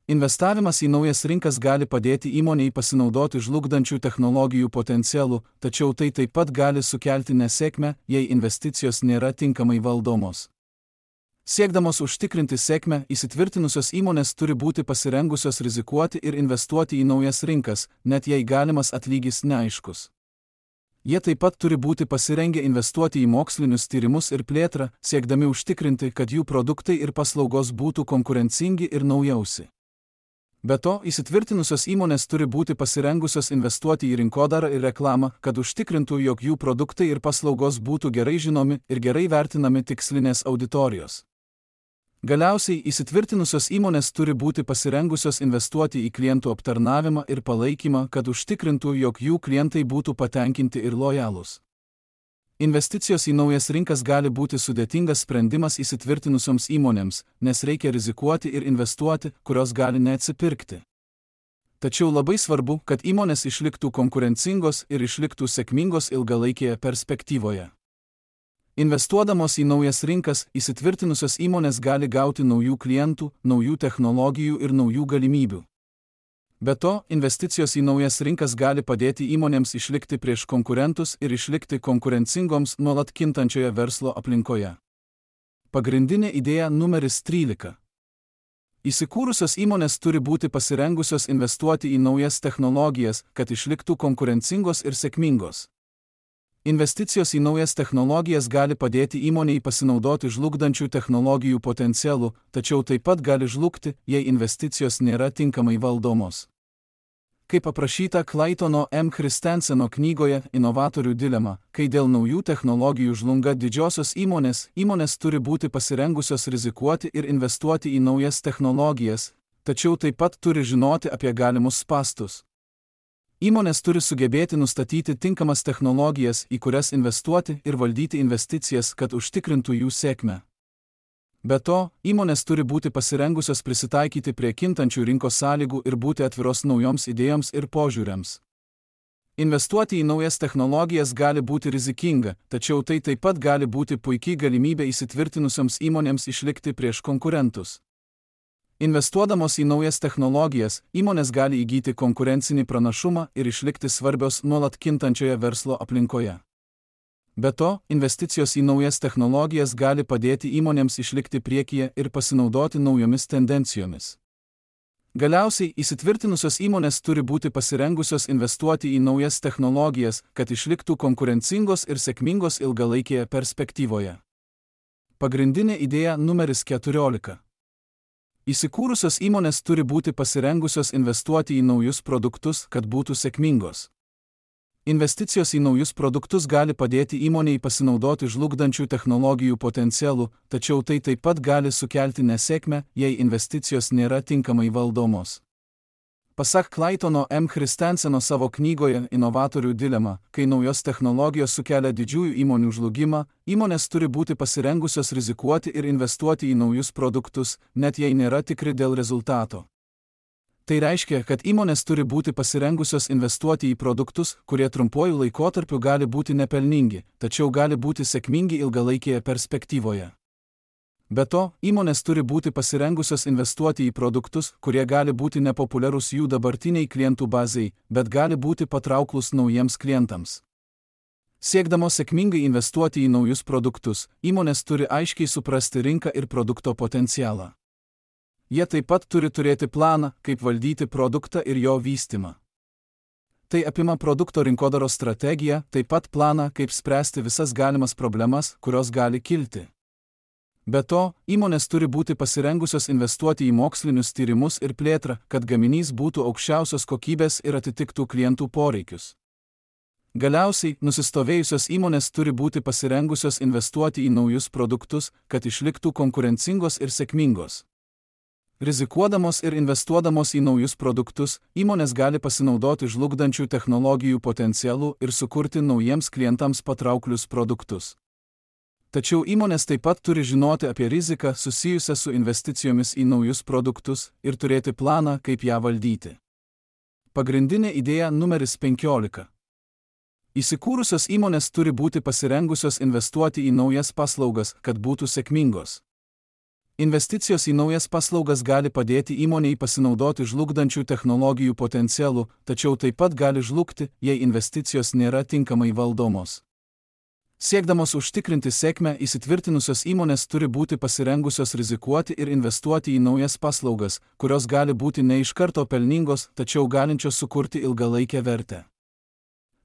Investavimas į naujas rinkas gali padėti įmonei pasinaudoti žlugdančių technologijų potencialų, tačiau tai taip pat gali sukelti nesėkmę, jei investicijos nėra tinkamai valdomos. Siekdamos užtikrinti sėkmę, įsitvirtinusios įmonės turi būti pasirengusios rizikuoti ir investuoti į naujas rinkas, net jei galimas atlygis neaiškus. Jie taip pat turi būti pasirengę investuoti į mokslinius tyrimus ir plėtrą, siekdami užtikrinti, kad jų produktai ir paslaugos būtų konkurencingi ir naujausi. Be to, įsitvirtinusios įmonės turi būti pasirengusios investuoti į rinkodarą ir reklamą, kad užtikrintų, jog jų produktai ir paslaugos būtų gerai žinomi ir gerai vertinami tikslinės auditorijos. Galiausiai, įsitvirtinusios įmonės turi būti pasirengusios investuoti į klientų aptarnavimą ir palaikymą, kad užtikrintų, jog jų klientai būtų patenkinti ir lojalūs. Investicijos į naujas rinkas gali būti sudėtingas sprendimas įsitvirtinusioms įmonėms, nes reikia rizikuoti ir investuoti, kurios gali neatsipirkti. Tačiau labai svarbu, kad įmonės išliktų konkurencingos ir išliktų sėkmingos ilgalaikėje perspektyvoje. Investuodamos į naujas rinkas, įsitvirtinusios įmonės gali gauti naujų klientų, naujų technologijų ir naujų galimybių. Be to, investicijos į naujas rinkas gali padėti įmonėms išlikti prieš konkurentus ir išlikti konkurencingoms nuolat kintančioje verslo aplinkoje. Pagrindinė idėja numeris trylika. Įsikūrusios įmonės turi būti pasirengusios investuoti į naujas technologijas, kad išliktų konkurencingos ir sėkmingos. Investicijos į naujas technologijas gali padėti įmonei pasinaudoti žlugdančių technologijų potencialu, tačiau taip pat gali žlugti, jei investicijos nėra tinkamai valdomos. Kaip aprašyta Claytono M. Christenseno knygoje Inovatorių dilema, kai dėl naujų technologijų žlunga didžiosios įmonės, įmonės turi būti pasirengusios rizikuoti ir investuoti į naujas technologijas, tačiau taip pat turi žinoti apie galimus spąstus. Įmonės turi sugebėti nustatyti tinkamas technologijas, į kurias investuoti ir valdyti investicijas, kad užtikrintų jų sėkmę. Be to, įmonės turi būti pasirengusios prisitaikyti prie kintančių rinkos sąlygų ir būti atviros naujoms idėjoms ir požiūriams. Investuoti į naujas technologijas gali būti rizikinga, tačiau tai taip pat gali būti puikiai galimybė įsitvirtinusioms įmonėms išlikti prieš konkurentus. Investuodamos į naujas technologijas, įmonės gali įgyti konkurencinį pranašumą ir išlikti svarbios nuolat kintančioje verslo aplinkoje. Be to, investicijos į naujas technologijas gali padėti įmonėms išlikti priekyje ir pasinaudoti naujomis tendencijomis. Galiausiai, įsitvirtinusios įmonės turi būti pasirengusios investuoti į naujas technologijas, kad išliktų konkurencingos ir sėkmingos ilgalaikėje perspektyvoje. Pagrindinė idėja numeris keturiolika. Įsikūrusios įmonės turi būti pasirengusios investuoti į naujus produktus, kad būtų sėkmingos. Investicijos į naujus produktus gali padėti įmonei pasinaudoti žlugdančių technologijų potencialu, tačiau tai taip pat gali sukelti nesėkmę, jei investicijos nėra tinkamai valdomos. Pasak Claytono M. Christenseno savo knygoje Inovatorių dilema, kai naujos technologijos sukelia didžiųjų įmonių žlugimą, įmonės turi būti pasirengusios rizikuoti ir investuoti į naujus produktus, net jei nėra tikri dėl rezultato. Tai reiškia, kad įmonės turi būti pasirengusios investuoti į produktus, kurie trumpuoju laikotarpiu gali būti nepelningi, tačiau gali būti sėkmingi ilgalaikėje perspektyvoje. Be to, įmonės turi būti pasirengusios investuoti į produktus, kurie gali būti nepopuliarūs jų dabartiniai klientų bazai, bet gali būti patrauklus naujiems klientams. Siekdamos sėkmingai investuoti į naujus produktus, įmonės turi aiškiai suprasti rinką ir produkto potencialą. Jie taip pat turi turėti planą, kaip valdyti produktą ir jo vystymą. Tai apima produkto rinkodaros strategiją, taip pat planą, kaip spręsti visas galimas problemas, kurios gali kilti. Be to, įmonės turi būti pasirengusios investuoti į mokslinius tyrimus ir plėtrą, kad gaminys būtų aukščiausios kokybės ir atitiktų klientų poreikius. Galiausiai, nusistovėjusios įmonės turi būti pasirengusios investuoti į naujus produktus, kad išliktų konkurencingos ir sėkmingos. Rizikuodamos ir investuodamos į naujus produktus, įmonės gali pasinaudoti žlugdančių technologijų potencialu ir sukurti naujiems klientams patrauklius produktus. Tačiau įmonės taip pat turi žinoti apie riziką susijusią su investicijomis į naujus produktus ir turėti planą, kaip ją valdyti. Pagrindinė idėja numeris penkiolika. Įsikūrusios įmonės turi būti pasirengusios investuoti į naujas paslaugas, kad būtų sėkmingos. Investicijos į naujas paslaugas gali padėti įmonei pasinaudoti žlugdančių technologijų potencialu, tačiau taip pat gali žlugti, jei investicijos nėra tinkamai valdomos. Siekdamos užtikrinti sėkmę, įsitvirtinusios įmonės turi būti pasirengusios rizikuoti ir investuoti į naujas paslaugas, kurios gali būti ne iš karto pelningos, tačiau galinčios sukurti ilgalaikę vertę.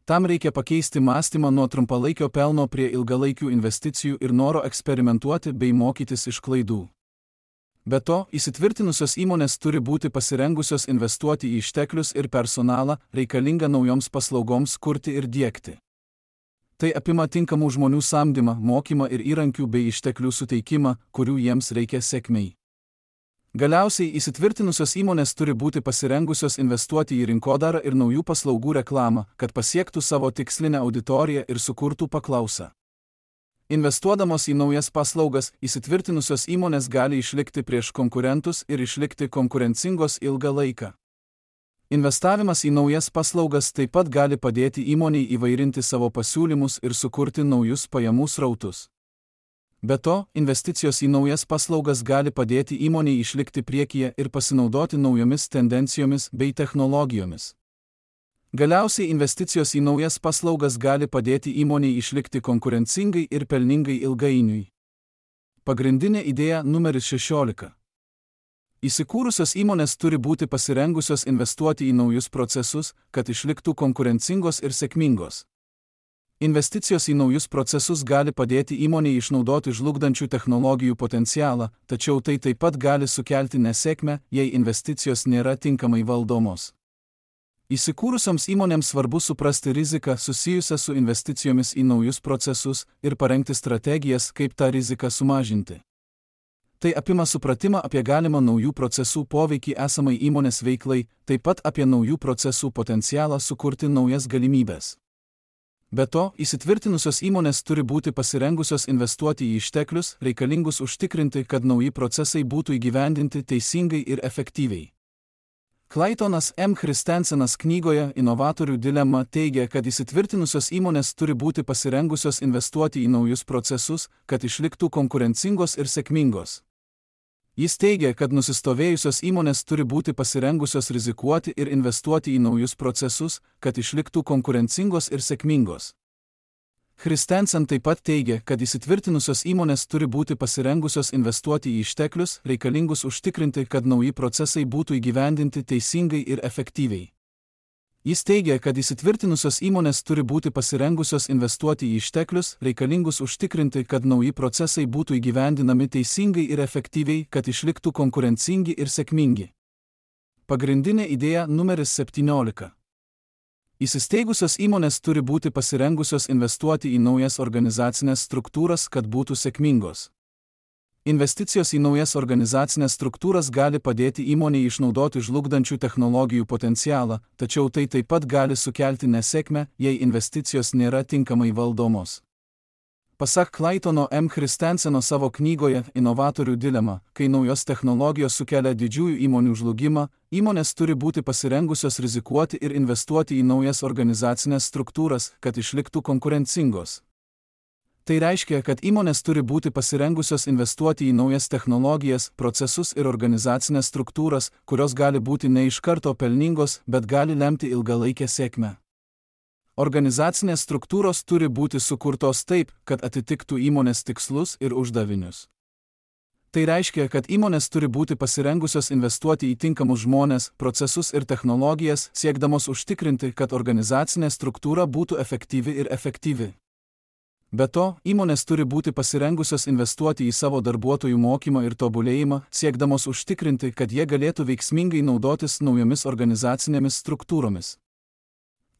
Tam reikia pakeisti mąstymą nuo trumpalaikio pelno prie ilgalaikių investicijų ir noro eksperimentuoti bei mokytis iš klaidų. Be to, įsitvirtinusios įmonės turi būti pasirengusios investuoti į išteklius ir personalą, reikalingą naujoms paslaugoms kurti ir diegti. Tai apima tinkamų žmonių samdymą, mokymą ir įrankių bei išteklių suteikimą, kurių jiems reikia sėkmei. Galiausiai, įsitvirtinusios įmonės turi būti pasirengusios investuoti į rinkodarą ir naujų paslaugų reklamą, kad pasiektų savo tikslinę auditoriją ir sukurtų paklausą. Investuodamos į naujas paslaugas, įsitvirtinusios įmonės gali išlikti prieš konkurentus ir išlikti konkurencingos ilgą laiką. Investavimas į naujas paslaugas taip pat gali padėti įmonei įvairinti savo pasiūlymus ir sukurti naujus pajamų srautus. Be to, investicijos į naujas paslaugas gali padėti įmonei išlikti priekyje ir pasinaudoti naujomis tendencijomis bei technologijomis. Galiausiai investicijos į naujas paslaugas gali padėti įmonei išlikti konkurencingai ir pelningai ilgainiui. Pagrindinė idėja numeris šešiolika. Įsikūrusios įmonės turi būti pasirengusios investuoti į naujus procesus, kad išliktų konkurencingos ir sėkmingos. Investicijos į naujus procesus gali padėti įmonei išnaudoti žlugdančių technologijų potencialą, tačiau tai taip pat gali sukelti nesėkmę, jei investicijos nėra tinkamai valdomos. Įsikūrusioms įmonėms svarbu suprasti riziką susijusią su investicijomis į naujus procesus ir parengti strategijas, kaip tą riziką sumažinti. Tai apima supratimą apie galimą naujų procesų poveikį esamai įmonės veiklai, taip pat apie naujų procesų potencialą sukurti naujas galimybės. Be to, įsitvirtinusios įmonės turi būti pasirengusios investuoti į išteklius, reikalingus užtikrinti, kad nauji procesai būtų įgyvendinti teisingai ir efektyviai. Claytonas M. Christensenas knygoje Inovatorių dilema teigia, kad įsitvirtinusios įmonės turi būti pasirengusios investuoti į naujus procesus, kad išliktų konkurencingos ir sėkmingos. Jis teigia, kad nusistovėjusios įmonės turi būti pasirengusios rizikuoti ir investuoti į naujus procesus, kad išliktų konkurencingos ir sėkmingos. Christensen taip pat teigia, kad įsitvirtinusios įmonės turi būti pasirengusios investuoti į išteklius, reikalingus užtikrinti, kad nauji procesai būtų įgyvendinti teisingai ir efektyviai. Jis teigia, kad įsitvirtinusios įmonės turi būti pasirengusios investuoti į išteklius, reikalingus užtikrinti, kad nauji procesai būtų įgyvendinami teisingai ir efektyviai, kad išliktų konkurencingi ir sėkmingi. Pagrindinė idėja numeris septyniolika. Įsisteigusios įmonės turi būti pasirengusios investuoti į naujas organizacinės struktūras, kad būtų sėkmingos. Investicijos į naujas organizacinės struktūras gali padėti įmonei išnaudoti žlugdančių technologijų potencialą, tačiau tai taip pat gali sukelti nesėkmę, jei investicijos nėra tinkamai valdomos. Pasak Claytono M. Christenseno savo knygoje Inovatorių dilema, kai naujos technologijos sukelia didžiųjų įmonių žlugimą, įmonės turi būti pasirengusios rizikuoti ir investuoti į naujas organizacinės struktūras, kad išliktų konkurencingos. Tai reiškia, kad įmonės turi būti pasirengusios investuoti į naujas technologijas, procesus ir organizacinės struktūras, kurios gali būti ne iš karto pelningos, bet gali lemti ilgalaikę sėkmę. Organizacinės struktūros turi būti sukurtos taip, kad atitiktų įmonės tikslus ir uždavinius. Tai reiškia, kad įmonės turi būti pasirengusios investuoti į tinkamus žmones, procesus ir technologijas, siekdamos užtikrinti, kad organizacinė struktūra būtų efektyvi ir efektyvi. Be to, įmonės turi būti pasirengusios investuoti į savo darbuotojų mokymą ir tobulėjimą, siekdamos užtikrinti, kad jie galėtų veiksmingai naudotis naujomis organizacinėmis struktūromis.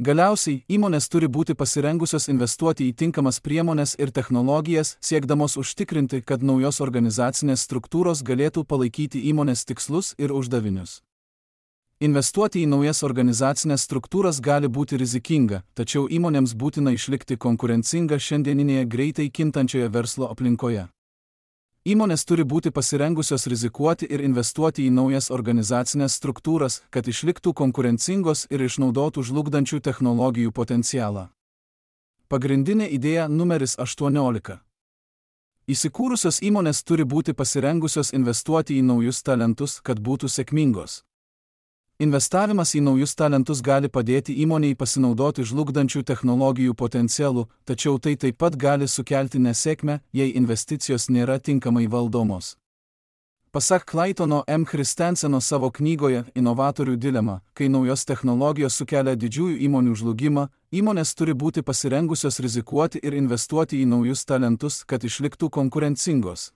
Galiausiai, įmonės turi būti pasirengusios investuoti į tinkamas priemones ir technologijas, siekdamos užtikrinti, kad naujos organizacinės struktūros galėtų palaikyti įmonės tikslus ir uždavinius. Investuoti į naujas organizacinės struktūras gali būti rizikinga, tačiau įmonėms būtina išlikti konkurencinga šiandieninėje greitai kintančioje verslo aplinkoje. Įmonės turi būti pasirengusios rizikuoti ir investuoti į naujas organizacinės struktūras, kad išliktų konkurencingos ir išnaudotų žlugdančių technologijų potencialą. Pagrindinė idėja numeris aštuoniolika. Įsikūrusios įmonės turi būti pasirengusios investuoti į naujus talentus, kad būtų sėkmingos. Investavimas į naujus talentus gali padėti įmonei pasinaudoti žlugdančių technologijų potencialu, tačiau tai taip pat gali sukelti nesėkmę, jei investicijos nėra tinkamai valdomos. Pasak Claytono M. Christenseno savo knygoje Inovatorių dilema, kai naujos technologijos sukelia didžiųjų įmonių žlugimą, įmonės turi būti pasirengusios rizikuoti ir investuoti į naujus talentus, kad išliktų konkurencingos.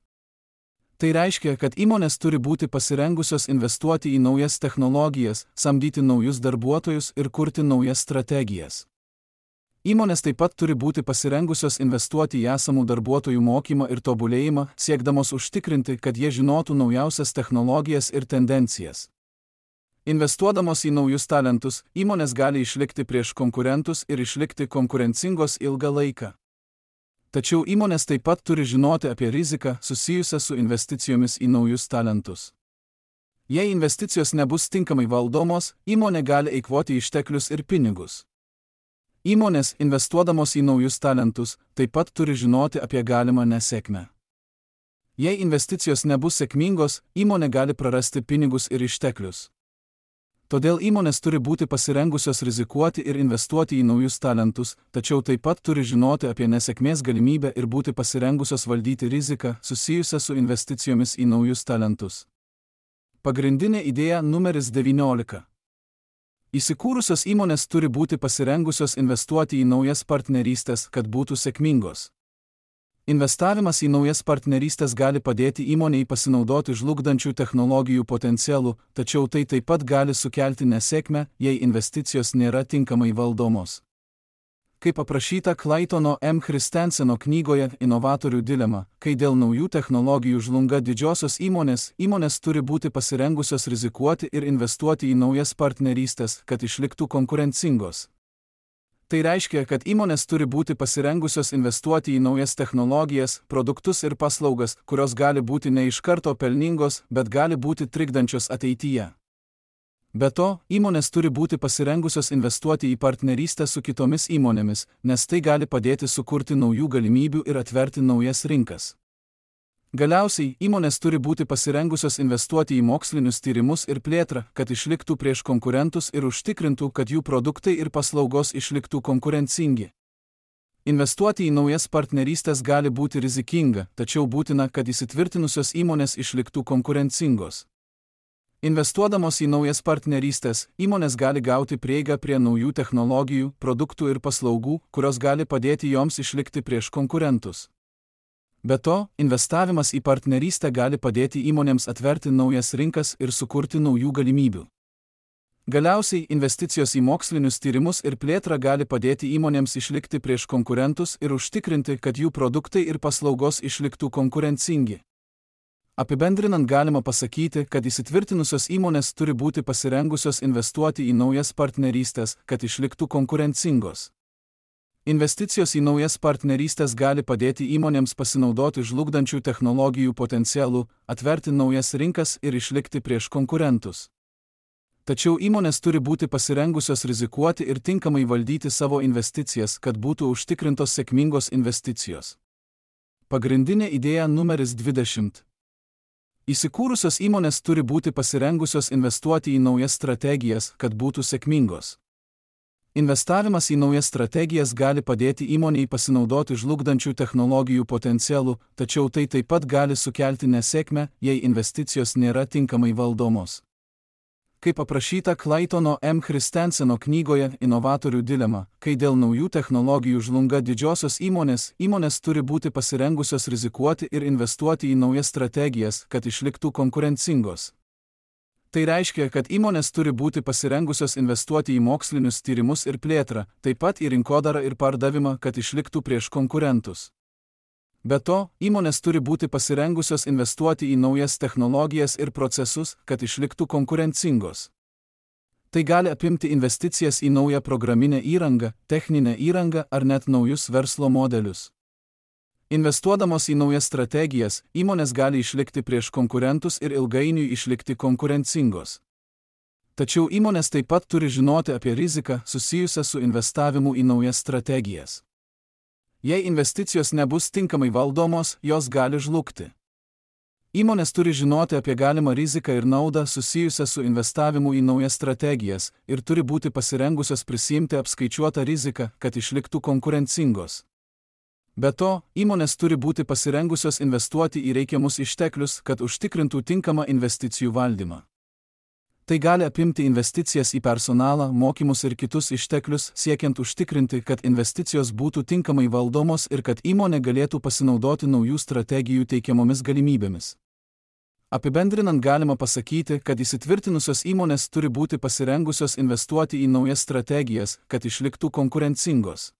Tai reiškia, kad įmonės turi būti pasirengusios investuoti į naujas technologijas, samdyti naujus darbuotojus ir kurti naujas strategijas. Įmonės taip pat turi būti pasirengusios investuoti į esamų darbuotojų mokymą ir tobulėjimą, siekdamos užtikrinti, kad jie žinotų naujausias technologijas ir tendencijas. Investuodamos į naujus talentus, įmonės gali išlikti prieš konkurentus ir išlikti konkurencingos ilgą laiką. Tačiau įmonės taip pat turi žinoti apie riziką susijusią su investicijomis į naujus talentus. Jei investicijos nebus tinkamai valdomos, įmonė gali eikvoti išteklius ir pinigus. Įmonės, investuodamos į naujus talentus, taip pat turi žinoti apie galimą nesėkmę. Jei investicijos nebus sėkmingos, įmonė gali prarasti pinigus ir išteklius. Todėl įmonės turi būti pasirengusios rizikuoti ir investuoti į naujus talentus, tačiau taip pat turi žinoti apie nesėkmės galimybę ir būti pasirengusios valdyti riziką susijusią su investicijomis į naujus talentus. Pagrindinė idėja numeris devyniolika. Įsikūrusios įmonės turi būti pasirengusios investuoti į naujas partnerystės, kad būtų sėkmingos. Investavimas į naujas partnerystės gali padėti įmonei pasinaudoti žlugdančių technologijų potencialu, tačiau tai taip pat gali sukelti nesėkmę, jei investicijos nėra tinkamai valdomos. Kaip aprašyta Claytono M. Christenseno knygoje Inovatorių dilema, kai dėl naujų technologijų žlunga didžiosios įmonės, įmonės turi būti pasirengusios rizikuoti ir investuoti į naujas partnerystės, kad išliktų konkurencingos. Tai reiškia, kad įmonės turi būti pasirengusios investuoti į naujas technologijas, produktus ir paslaugas, kurios gali būti ne iš karto pelningos, bet gali būti trikdančios ateityje. Be to, įmonės turi būti pasirengusios investuoti į partnerystę su kitomis įmonėmis, nes tai gali padėti sukurti naujų galimybių ir atverti naujas rinkas. Galiausiai, įmonės turi būti pasirengusios investuoti į mokslinius tyrimus ir plėtrą, kad išliktų prieš konkurentus ir užtikrintų, kad jų produktai ir paslaugos išliktų konkurencingi. Investuoti į naujas partnerystės gali būti rizikinga, tačiau būtina, kad įsitvirtinusios įmonės išliktų konkurencingos. Investuodamos į naujas partnerystės, įmonės gali gauti prieigą prie naujų technologijų, produktų ir paslaugų, kurios gali padėti joms išlikti prieš konkurentus. Be to, investavimas į partnerystę gali padėti įmonėms atverti naujas rinkas ir sukurti naujų galimybių. Galiausiai, investicijos į mokslinius tyrimus ir plėtrą gali padėti įmonėms išlikti prieš konkurentus ir užtikrinti, kad jų produktai ir paslaugos išliktų konkurencingi. Apibendrinant galima pasakyti, kad įsitvirtinusios įmonės turi būti pasirengusios investuoti į naujas partnerystės, kad išliktų konkurencingos. Investicijos į naujas partnerystės gali padėti įmonėms pasinaudoti žlugdančių technologijų potencialu, atverti naujas rinkas ir išlikti prieš konkurentus. Tačiau įmonės turi būti pasirengusios rizikuoti ir tinkamai valdyti savo investicijas, kad būtų užtikrintos sėkmingos investicijos. Pagrindinė idėja numeris dvidešimt. Įsikūrusios įmonės turi būti pasirengusios investuoti į naujas strategijas, kad būtų sėkmingos. Investavimas į naujas strategijas gali padėti įmonei pasinaudoti žlugdančių technologijų potencialu, tačiau tai taip pat gali sukelti nesėkmę, jei investicijos nėra tinkamai valdomos. Kaip aprašyta Claytono M. Christenseno knygoje Inovatorių dilema, kai dėl naujų technologijų žlunga didžiosios įmonės, įmonės turi būti pasirengusios rizikuoti ir investuoti į naujas strategijas, kad išliktų konkurencingos. Tai reiškia, kad įmonės turi būti pasirengusios investuoti į mokslinius tyrimus ir plėtrą, taip pat į rinkodarą ir pardavimą, kad išliktų prieš konkurentus. Be to, įmonės turi būti pasirengusios investuoti į naujas technologijas ir procesus, kad išliktų konkurencingos. Tai gali apimti investicijas į naują programinę įrangą, techninę įrangą ar net naujus verslo modelius. Investuodamos į naujas strategijas, įmonės gali išlikti prieš konkurentus ir ilgainiui išlikti konkurencingos. Tačiau įmonės taip pat turi žinoti apie riziką susijusią su investavimu į naujas strategijas. Jei investicijos nebus tinkamai valdomos, jos gali žlugti. Įmonės turi žinoti apie galimą riziką ir naudą susijusią su investavimu į naujas strategijas ir turi būti pasirengusios prisiimti apskaičiuotą riziką, kad išliktų konkurencingos. Be to, įmonės turi būti pasirengusios investuoti į reikiamus išteklius, kad užtikrintų tinkamą investicijų valdymą. Tai gali apimti investicijas į personalą, mokymus ir kitus išteklius, siekiant užtikrinti, kad investicijos būtų tinkamai valdomos ir kad įmonė galėtų pasinaudoti naujų strategijų teikiamomis galimybėmis. Apibendrinant galima pasakyti, kad įsitvirtinusios įmonės turi būti pasirengusios investuoti į naujas strategijas, kad išliktų konkurencingos.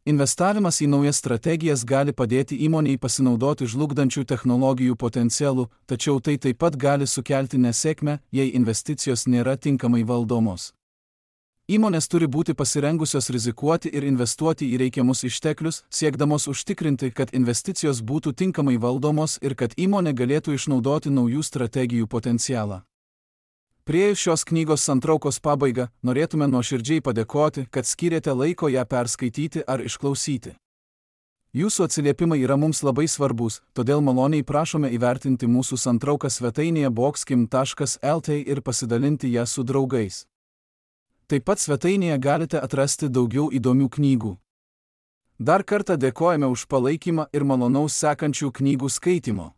Investavimas į naujas strategijas gali padėti įmonei pasinaudoti žlugdančių technologijų potencialu, tačiau tai taip pat gali sukelti nesėkmę, jei investicijos nėra tinkamai valdomos. Įmonės turi būti pasirengusios rizikuoti ir investuoti į reikiamus išteklius, siekdamos užtikrinti, kad investicijos būtų tinkamai valdomos ir kad įmonė galėtų išnaudoti naujų strategijų potencialą. Priėjus šios knygos santraukos pabaigą, norėtume nuoširdžiai padėkoti, kad skyrėte laiko ją perskaityti ar išklausyti. Jūsų atsiliepimai yra mums labai svarbus, todėl maloniai prašome įvertinti mūsų santrauką svetainėje boxkim taškas lt ir pasidalinti ją su draugais. Taip pat svetainėje galite atrasti daugiau įdomių knygų. Dar kartą dėkojame už palaikymą ir malonaus sekančių knygų skaitymo.